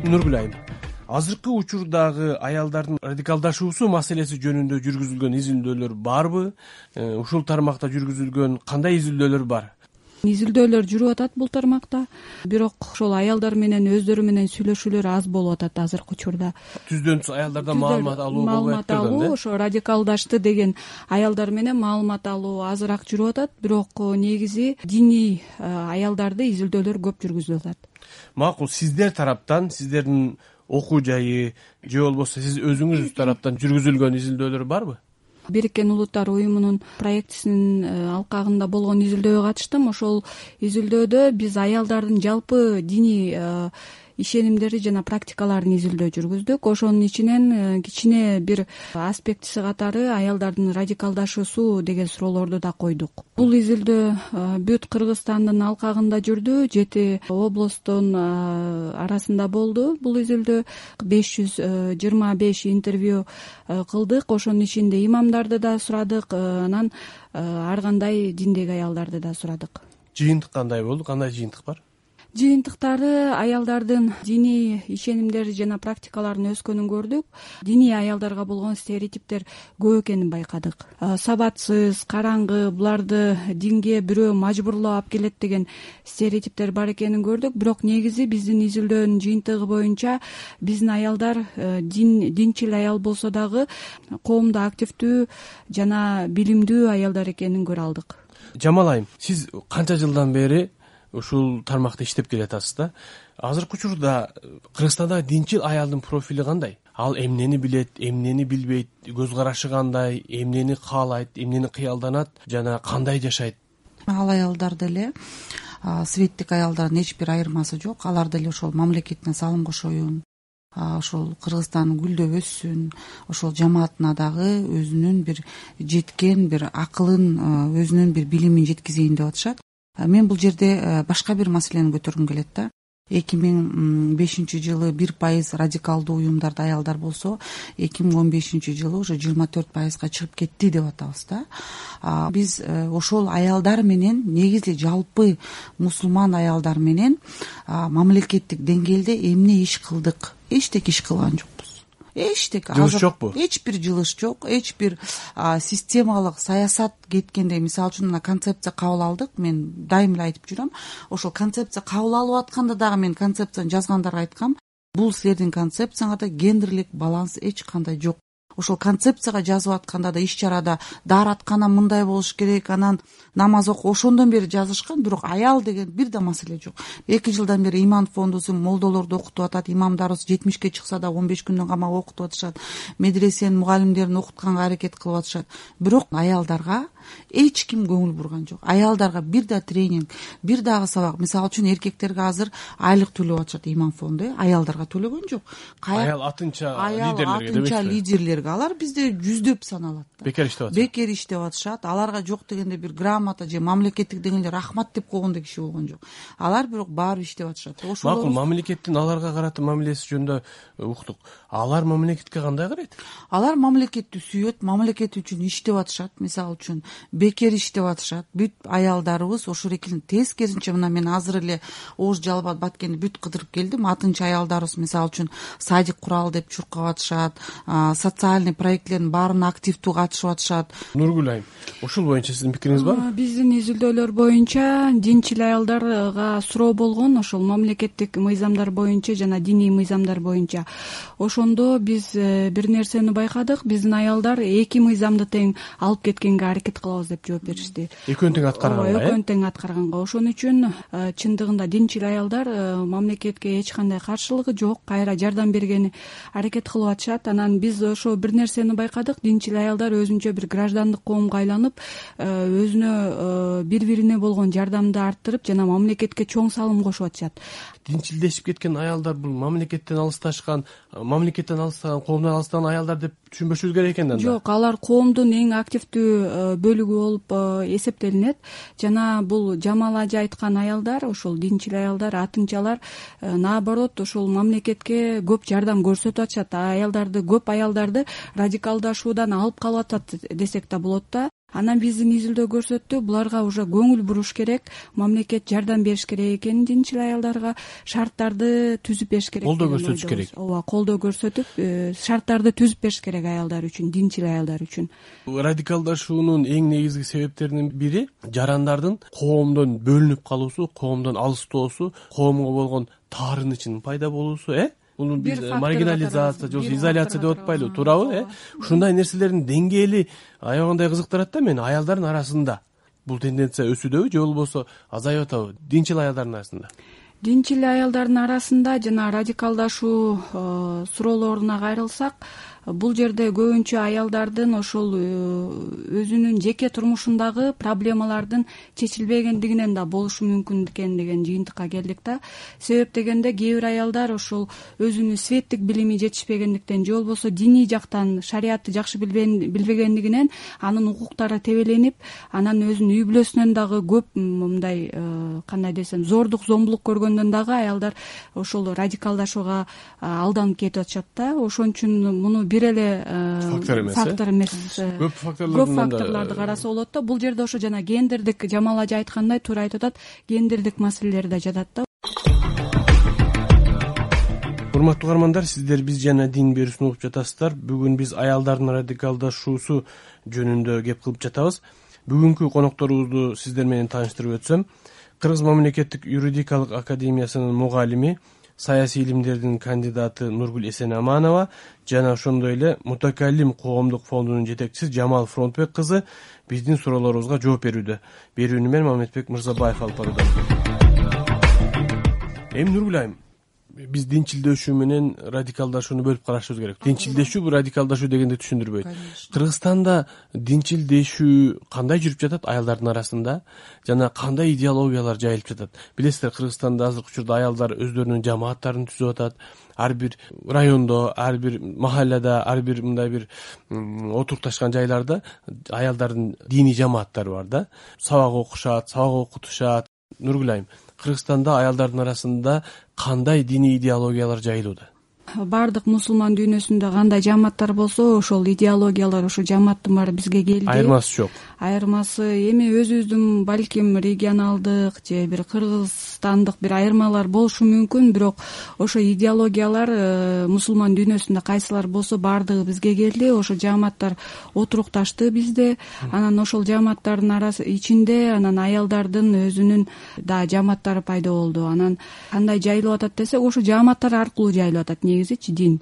Нургүл айым, азыркы учурдагы аялдардын радикалдашуусу маселеси жөнүндө жүргүзүлгөн изилдөөлөр барбы? Ушул тармакта жүргүзүлгөн кандай изилдөөлөр бар? Изилдөөлөр жүрүп атат бул тармакта, бирок ошол аялдар менен өздөрү менен сүйлөшүүлөр аз болуп атат азыркы учурда. Түздөн түз аялдардан маалымат алуу, ошо радикалдашты деген аялдар менен маалымат алуу азыраак жүрүп атат, бирок негизи диний аялдарды изилдөөлөр көп жүргүзүлүп атат. Макул, сиздер тараптан, сиздердин окуу жайы же болбосо сиз өзүңүз тараптан жүргүзүлгөн изилдөөлөр барбы? Бириккен Улуттар уюмунун проектисинин алкагында болгон изилдөөгө катыштым. Ошол изилдөөдө биз аялдардын жалпы диний ишенимдери жана практикаларын изилдөө жүргүздүк. Ошонун ичинен кичине бир аспектиси катары аялдардын радикалдашуусу деген суроолорду да койдук. Бул изилдөө бүт Кыргызстандын алкагында жүрдү, 7 областтын арасында болду. Бул изилдөө 525 интервью кылдык. Ошонун ичинде имамдарды да сурадык, анан ар кандай диндеги аялдарды да сурадык. Жыйынтык кандай болду? Кандай жыйынтык бар? Жыйынтыктары аялдардын диний ишенимдери жана практикаларын өскөнүн көрдүк. Диний аялдарга болгон стереотиптер көп экенин байкадык. Сабатсыз, караңгы, буларды динге бирөө мажбурлап алып келет деген стереотиптер бар экенин көрдүк. Бирок негизи биздин изилдөөнүн жыйынтыгы боюнча биздин аялдар динчил аял болсо дагы коомдо активдүү жана билимдүү аялдар экенин көрө алдык. Жамал айым, сиз канча жылдан бери ушул тармакта иштеп келатасыз да? Азыркы учурда Кыргызстанда динчил аялдын профили кандай? Ал эмнени билет, эмнени билбейт, көз карашы кандай, эмнени каалайт, эмнени кыялданат жана кандай жашайт? Ал аялдар деле светтик аялдардын эч бир айырмасы жок. Алар деле ошол мамлекетине салым кошоюн, ошол Кыргызстан гүлдөп өссүн, ошол жамаатына дагы өзүнүн бир жеткен бир акылын, өзүнүн бир билимин жеткизейин деп атышат. Мен бул жерде башка бир маселени көтөргүм келет да. 2005 жылы 1% радикалдуу уюмдарда аялдар болсо, 2015 жылы уже 24%га чыгып кетти деп атабыз да. Биз ошол аялдар менен, негизи жалпы мусулман аялдар менен мамлекеттик деңгээлде эмне иш кылдык? Эчтеке иш кылган жокпуз. Эчтеке. Жылыш жокпу? Эч бир жылыш жок, эч бир системалык саясат кеткенде, мисалы үчүн мына концепция кабыл алдык. Мен дайым эле айтып жүрөм. Ошол концепция кабыл алып атканда дагы мен концепцияны жазгандарга айткам. Бул силердин концепцияңарда гендерлик баланс эч кандай жок. Ошол концепцияга жазып атканда да иш чарада даараткана мындай болуш керек, анан намаз ошондон бери жазышкан, бирок аял деген бир да маселе жок. 2 жылдан бери иман фондусу молдолорду окутуп атат, имамдарыбыз 70 чыкса да 15 күндөн камап окутуп атышат, медресенин мугалимдерин окутканга аракет кылып атышат. Бирок аялдарга эч ким көңүл бурган жок. Аялдарга бир да тренинг, бир дагы сабак. Мисалы үчүн эркектерге азыр айлык төлөп атышат иман фонду, аялдарга төлөгөн жок. Аял атынча лидерлерге алар бизде жүздөп саналат. Бекер иштеп атышат. Бекер иштеп атышат. Аларга жок дегенде бир грамота же мамлекеттик деңгээлде рахмат деп койгондой киши болгон жок. Алар бирок баары иштеп атышат. Макул, мамлекеттин аларга карата мамилеси жөнүндө уктук. Алар мамлекетке кандай карайт? Алар мамлекетти сүйөт, мамлекет үчүн иштеп атышат. Мисалы үчүн бекер иштеп атышат. Бүт аялдарыбыз ошол экенин тескерисинче, мына мен азыр эле Ош Жалал Баткенди бүт кыдырып келдим. Атынча аялдарыбыз мисалы үчүн садик куралы деп чуркап атышат, социальный проектлердин баарына активдүү катышып атышат. Нургүл айым, ушул боюнча сиздин пикириңиз барбы? Биздин изилдөөлөр боюнча динчил аялдарга суроо болгон, ошол мамлекеттик мыйзамдар боюнча жана диний мыйзамдар боюнча. Ошондо биз бир нерсени байкадык, биздин аялдар 2 мыйзамды тең алып кеткенге аракет кылабыз деп жооп беришти. Экөөнү тең аткарганга, экөөнү тең аткарганга. Ошон үчүн чындыгында динчил аялдар мамлекетке эч кандай каршылыгы жок, кайра жардам бергени аракет кылып атышат. Анан биз ошо бир нерсени байкадык, динчил аялдар өзүнчө бир граждандык коомго айланып, өзүнө бири-бирине болгон жардамды арттырып жана мамлекетке чоң салым кошуп атышат. Динчилдешип кеткен аялдар бул мамлекеттен алысташкан, коомдон алыстаган аялдар деп түшүнбөшүбүз керек экен да. Жок, алар коомдун эң активдүү бөлүгү болуп эсептелинет. Жана бул Жамал ажы айткан аялдар, ошол динчил аялдар, атынчалар наоборот ошол мамлекетке көп жардам көрсөтүп атышат. Көп аялдарды радикалдашуудан алып калып атат десек да болот да. Анан биздин изилдөө көрсөттү, буларга уже көңүл буруш керек, мамлекет жардам бериш керек экенин, динчил аялдарга шарттарды түзүп бериш керек, колдоо көрсөтүш керек. Ооба, колдоо көрсөтүп, шарттарды түзүп бериш керек аялдар үчүн, динчил аялдар үчүн. Радикалдашуунун эң негизги себептеринин бири жарандардын коомдон бөлүнүп калуусу, коомдон алыстоосу, коомго болгон таарынычынын пайда болуусу, Буну биз маргинализация же изоляция деп атпайлыбы, туурабы? Ушундай нерселердин деңгээли аябагандай кызыктырат да мени. Аялдардын арасында бул тенденция өсүүдөбү же болбосо азайып атабы динчил аялдардын арасында? Динчил аялдардын арасында жана радикалдашуу суроолоруна кайрылсак, бул жерде көбүнчө аялдардын ошол өзүнүн жеке турмушундагы проблемалардын чечилбегендигинен да болушу мүмкүн экен деген жыйынтыкка келдик да. Себеп дегенде кээ бир аялдар ошол өзүнүн светтик билими жетишпегендиктен же болбосо диний жактан шариатты жакшы билбегендигинен анын укуктары тебеленип, анан өзүнүн үй бүлөсүнөн дагы көп мындай кандай десем зордук зомбулук көргөндөн дагы аялдар ошол радикалдашууга алданып кетип атышат да. Ошон үчүн муну бир эле фактор эмес, көп факторлорду караса болот да. Бул жерде ошо жана гендердик, Жамал ажы айткандай, туура айтып атат, гендердик маселелер да жатат да. Урматтуу угармандар, сиздер биз жана дин берүүсүн угуп жатасыздар. Бүгүн биз аялдардын радикалдашуусу жөнүндө кеп кылып жатабыз. Бүгүнкү конокторубузду сиздер менен тааныштырып өтсөм, Кыргыз мамлекеттик юридикалык академиясынын мугалими, саясий илимдердин кандидаты Нургүл Эсенаманова жана ошондой эле Мутакаллим коомдук фондунун жетекчиси Жамал Фронтбек кызы биздин суроолорубузга жооп берүүдө. Берүүнү мен Мамедбек Мырзабаев алып баруудамын. Нургүл айым, биз динчилдешүү менен радикалдашууну бөлүп карашыбыз керек. Динчилдешүү бул радикалдашуу дегенди түшүндүрбөйт. Кыргызстанда динчилдешүү кандай жүрүп жатат аялдардын арасында жана кандай идеологиялар жайылып жатат? Билесиздер, Кыргызстанда азыркы учурда аялдар өздөрүнүн жамааттарын түзүп атат. Ар бир райондо, ар бир махаллада, ар бир мындай бир отурукташкан жайларда аялдардын диний жамааттары бар да. Сабак окушат, сабак окутушат. Нургүл айым, Кыргызстанда аялдардын арасында кандай диний идеологиялар жайылууда? Бардык мусулман дүйнөсүндө кандай жамааттар болсо, ошол идеологиялар, ошол жамааттын баары бизге келди. Айырмасы жок. Айырмасы эми өзүбүздүн балким регионалдык же бир кыргызстандык бир айырмалар болушу мүмкүн, бирок ошо идеологиялар мусулман дүйнөсүндө кайсылар болсо баардыгы бизге келди. Ошо жамааттар отурукташты бизде. Анан ошол жамааттардын ичинде анан аялдардын өзүнүн да жамааттары пайда болду. Анан кандай жайылып атат десек, ошо жамааттар аркылуу жайылып атат негизичи дин.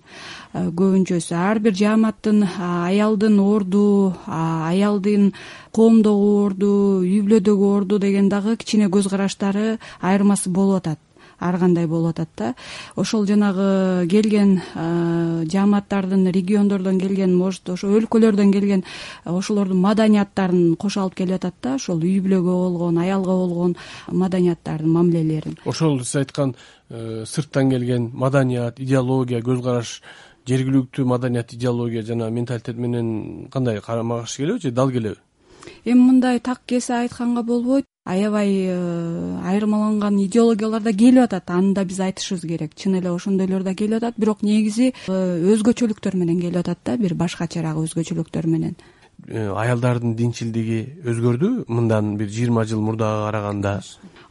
Көбүнчөсү ар бир жамааттын аялдын орду, аялдын коомдогу орду, үй бүлөдөгү орду деген дагы кичине көз караштары айырмасы болуп атат. Ар кандай болуп атат да. Ошол жанагы келген жамааттардын, региондордон келген, может ошо өлкөлөрдөн келген ошолордун маданияттарын кошо алып келип атат да. Ошол үй бүлөгө болгон, аялга болгон маданияттардын, мамилелерин. Ошол сиз айткан сырттан келген маданият, идеология, көз караш, жергиликтүү маданият, идеология жана менталитет менен кандай карама каршы келеби же дал келеби? Эми мындай так кесе айтканга болбойт. Аябай айырмаланган идеологиялар да келип атат. Аны да биз айтышыбыз керек. Чын эле ошондойлор да келип атат, бирок негизи өзгөчөлүктөр менен келип атат да, бир башкачараак өзгөчөлүктөр менен. Аялдардын динчилдиги өзгөрдү мындан бир 20 жыл мурдага караганда?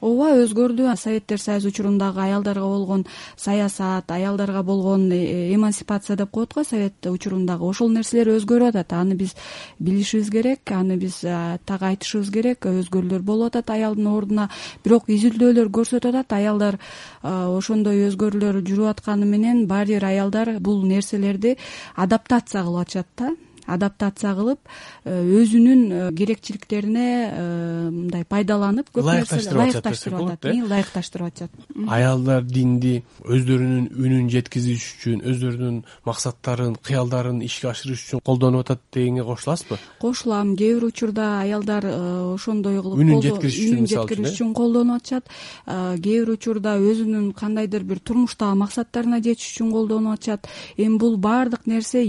Ооба, өзгөрдү. Советтер Союзу учурундагы аялдарга болгон саясат, аялдарга болгон эмансипация деп коет го совет учурундагы, ошол нерселер өзгөрүп атат. Аны биз билишибиз керек, аны биз так айтышыбыз керек. Өзгөрүүлөр болуп атат аялдын ордуна, бирок изилдөөлөр көрсөтүп атат, аялдар ошондой өзгөрүүлөр жүрүп атканы менен баары бир аялдар бул нерселерди адаптация кылып атышат да. Адаптация кылып, өзүнүн керекчиликтерине мындай пайдаланып, көп нерселерди ылайыкташтырып атышат. Аялдар динди өздөрүнүн үнүн жеткизиш үчүн, өздөрүнүн максаттарын, кыялдарын ишке ашырыш үчүн колдонуп атат дегенге кошуласызбы? Кошулам. Кээ бир учурда аялдар ошондой кылып үнүн жеткириш үчүн колдонуп атышат. Кээ бир учурда өзүнүн кандайдыр бир турмуштагы максаттарына жетиш үчүн колдонуп атышат. Эми бул баардык нерсе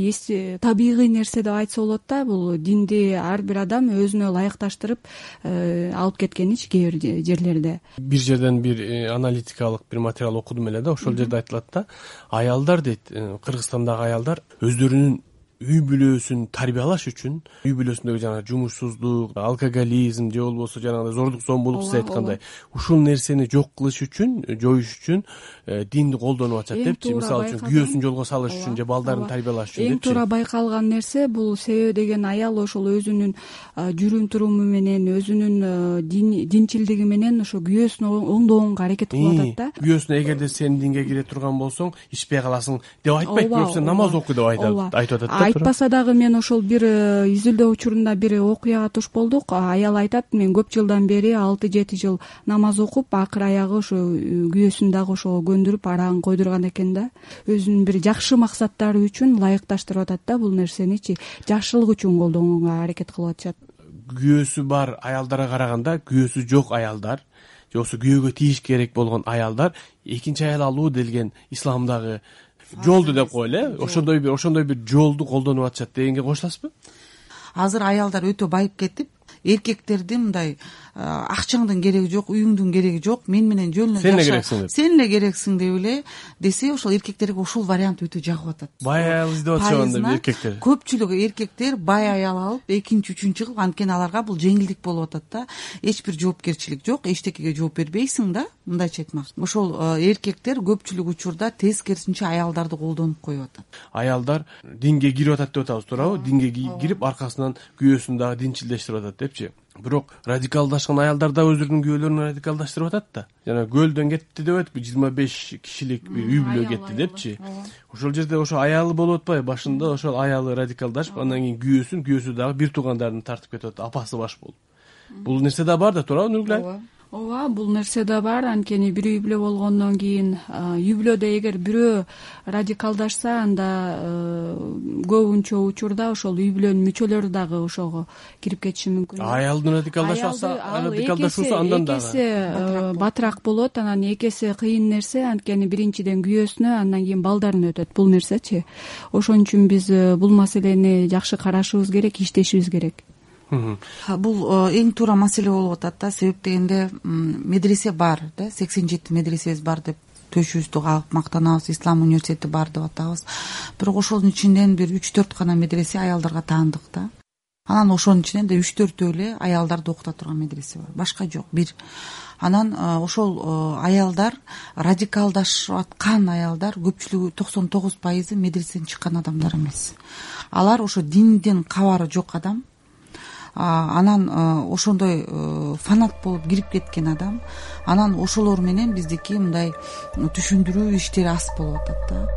табигый нерсе айтса болот да. Бул динди ар бир адам өзүнө ылайыкташтырып алып кеткеничи кээ бир жерлерде. Бир жерден бир аналитикалык бир материал окудум эле да, ошол жерде айтылат да, аялдар дейт, Кыргызстандагы аялдар өздөрүнүн үй бүлөсүн тарбиялаш үчүн, үй бүлөсүндөгү жанагы жумушсуздук, алкоголизм же болбосо жанагындай зордук зомбулук сиз айткандай ушул нерсени жок кылыш үчүн, жоюш үчүн динди колдонуп атышат депчи. Мисалы үчүн күйөөсүн жолго салыш үчүн же балдарын тарбиялаш үчүн депчи. Эң туура байкалган нерсе бул себеби деген аял ошол өзүнүн жүрүм туруму менен, өзүнүн динчилдиги менен ошо күйөөсүн оңдогонго аракет кылып атат да. Күйөөсүнө эгерде сен динге кире турган болсоң, ичпей каласың деп айтпайт, бирок сен намаз оку деп айтып атат. Айтпаса дагы мен ошол бир изилдөө учурунда бир окуяга туш болдук. Аял айтат, мен көп жылдан бери 6-7 жыл намаз окуп, акыр аягы ошо күйөөсүн дагы ошого көндүрүп арагын койдурган экен да. Өзүнүн бир жакшы максаттары үчүн ылайыкташтырып атат да бул нерсеничи. Жакшылык үчүн колдонууга аракет кылып атышат. Күйөөсү бар аялдарга караганда күйөөсү жок аялдар же болбосо күйөөгө тийиш керек болгон аялдар экинчи аял алуу делген исламдагы жолду деп коелу, ошондой бир жолду колдонуп атышат дегенге кошуласызбы? Азыр аялдар өтө байып кетип, эркектерди мындай акчаңдын кереги жок, үйүңдүн кереги жок, мен менен жөн эле жаша, сен эле керексиң деп эле десе, ошол эркектерге ушул вариант өтө жагып атат. Бай аял издеп атышат эркектер. Көпчүлүгү эркектер бай аял алып, экинчи, үчүнчү кылып, анткени аларга бул жеңилдик болуп атат да. Эч бир жоопкерчилик жок, эчтекеге жооп бербейсиң да, мындайча айтмакчы. Ошол эркектер көпчүлүк учурда тескерисинче аялдарды колдонуп коюп атат. Аялдар динге кирип атат деп атабыз, туурабы? Динге кирип, аркасынан күйөөсүн дагы динчилдештирип атат депчи. Бирок радикалдашкан аялдар да өздөрүнүн күйөөлөрүн радикалдаштырып атат да. Жана көлдөн кетти деп атпайбы, 25 кишилик бир үй бүлө кетти депчи. Ошол жерде ошо аялы болуп атпайбы? Башында ошол аялы радикалдашып, андан кийин күйөөсү дагы бир туугандарын тартып кетип атат, апасы баш болуп. Бул нерсе да бар да, туурабы Нургүл? Ооба, бул нерсе да бар. Анткени бир үй бүлө болгондон кийин үй бүлөдө эгер бирөө радикалдашса, анда көбүнчө учурда ошол үй бүлөнүн мүчөлөрү дагы ошого кирип кетиши мүмкүн. Аялдын радикалдашуусу андан дагы экесе батыраак болот, анан экесе кыйын нерсе. Анткени биринчиден күйөөсүнө, андан кийин балдарына өтөт бул нерсечи. Ошон үчүн биз бул маселени жакшы карашыбыз керек, иштешибиз керек. Бул эң туура маселе болуп атат да. Себеп дегенде медресе бар да, 87 медресебиз бар деп төшүбүздү кагып мактанабыз, ислам университети бар деп атабыз. Бирок ошонун ичинен бир 3-4 гана медресе аялдарга таандык да. Анан ошонун ичинен да 3-4 эле аялдарды окута турган медресе бар, башка жок, бир. Анан ошол аялдар, радикалдашып аткан аялдар көпчүлүгү 99% медреседен чыккан адамдар эмес. Алар ошо динден кабары жок адам. Анан ошондой фанат болуп кирип кеткен адам. Анан ошолор менен биздики мындай түшүндүрүү иштери аз болуп атат да.